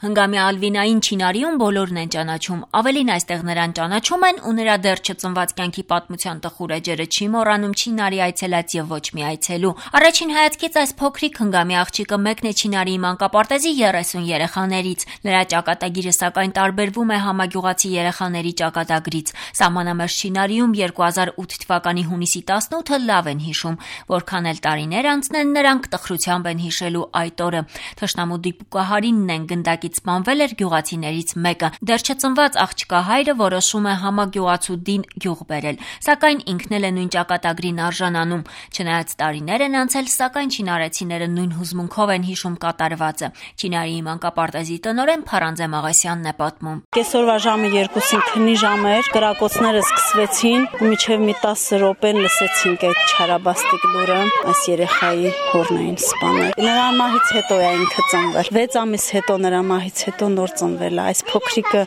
Հնգամյա Ալվինային Չինարիում բոլորն են ճանաչում, ավելին այստեղ նրան ճանաչում են ու նրա դեռ չծնված կյանքի պատմության տխուր էջերը չի մոռանում Չինարի այցելած եւ ոչ մի այցելու։ Առաջին հայացքից այս փոքրիկ հնգամյա աղջիկը մեկն է Չինարիի մանկապարտեզի 30 երեխաներից։ Նրա ճակատագիրը սակայն տարբերվում է համագյուղացի երեխաների ճակատագրից։ Սահմանամերձ Չինարիում 2008 թվականի հունիսի 18-ը լավ են հիշում, որքան էլ տարիներ անցնեն, նրանք տխրությամբ են հիշելու այդ օրը։ Թշնամու դիպուկահարինն են գնդակից սպանվել էր գյուղացիներից մեկը։ Դեռ չծնված աղջկա հայրը որոշում է համագյուղացուդին գյուղ բերել, սակայն ինքն էլ է նույն ճակատագրին արժանանում։ Չնայած տարիներ են անցել, սակայն չինարեցիները նույն հուզմունքով են հիշում կատարվածը։ Չինարիի մանկապարտեզի տնօրեն Փարանձե Մաղասյանն է պատմում։ Կեսօրվա ժամը 2-ին քնի ժամ էր, կրակոցները սկսվեցին, մինչև մի 10 րոպե լսեցինք այդ չարաբաստիկ լուրը, այս երեխայի հորն էին սպանել։ Նրա մահից հետո է ինքը ծնվել։ 6 ամիս հետո նրա մահից հետո նոր ծնվել է։ Այս փոքրիկը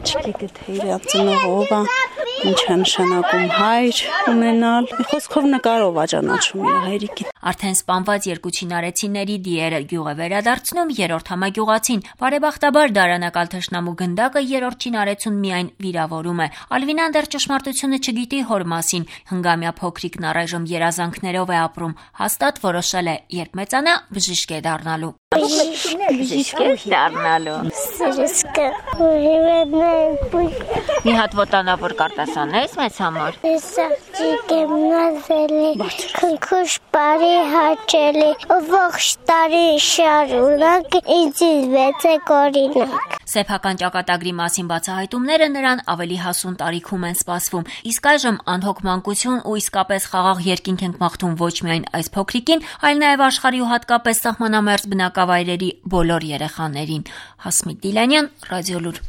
չգիտի թե իր ծնողը ով է, ինչ է նշանակում հայր ունենալ։ Խոսքով նկարով է ճանաչում իր հայրիկին։ Արդեն սպանված երկու չինարեցիների դիերը գյուղ է վերադարձնում երրորդ համագյուղացին։ Բարեբախտաբար դարանակալ թշնամու գնդակը երրորդ չինարեցուն միայն վիրավորում է։ Ալվինան դեռ ճշմարտությունը չգիտի հոր մասին։ Հնգամյա փոքրիկն առայժմ երազանքներով է ապրում։ Հաստատ որոշել է, երբ մեծանա, բժիշկ է դառնալու։ Բժիշկ է դառնալու։ Սրսկը Մի հատ ոտանավոր կարտասանես մեզ համար։ Սա գիմնազիալի քնքուշ բարի հաճելի ողջ տարի շարունակ ինձ վեցեք օրինակ։ Սեփական ճակատագրի մասին բացահայտումները նրան ավելի հասուն տարիքում են սպասվում։ Իսկ այժմ անհոգ մանկություն ու իսկապես խաղաղ երկինք ենք մաղթում ոչ միայն այս փոքրիկին, այլ նաև աշխարհի ու հատկապես սահմանամերձ բնակավայրերի բոլոր երեխաներին։ Հասմիկ Դիլանյան, Ռադիոլուր։